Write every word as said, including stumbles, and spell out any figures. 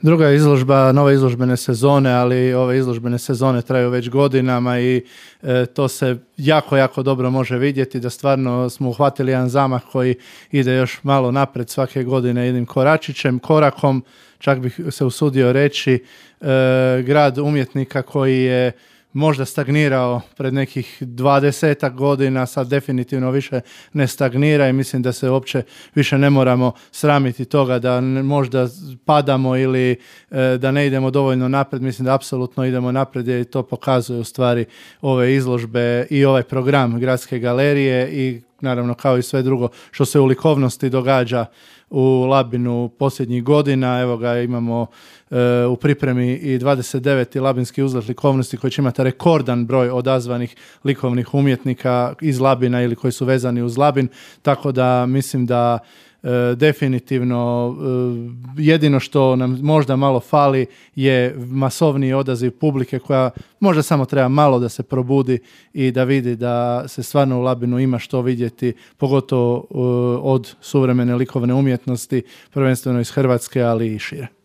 Druga izložba, nove izložbene sezone, ali ove izložbene sezone traju već godinama i e, to se jako, jako dobro može vidjeti da stvarno smo uhvatili jedan zamah koji ide još malo napred svake godine jednim koračićem, korakom, čak bih se usudio reći, e, grad umjetnika koji je možda stagnirao pred nekih dvadesetak godina, sad definitivno više ne stagnira i mislim da se uopće više ne moramo sramiti toga da možda padamo ili e, da ne idemo dovoljno napred. Mislim da apsolutno idemo napred i to pokazuje u stvari ove izložbe i ovaj program Gradske galerije i naravno kao i sve drugo što se u likovnosti događa u Labinu posljednjih godina. Evo ga, imamo e, u pripremi i dvadeset deveti Labinski uzlet likovnosti koji će imati rekordan broj odazvanih likovnih umjetnika iz Labina ili koji su vezani uz Labin, tako da mislim da E, definitivno e, jedino što nam možda malo fali je masovniji odaziv publike koja možda samo treba malo da se probudi i da vidi da se stvarno u Labinu ima što vidjeti, pogotovo e, od suvremene likovne umjetnosti, prvenstveno iz Hrvatske, ali i šire.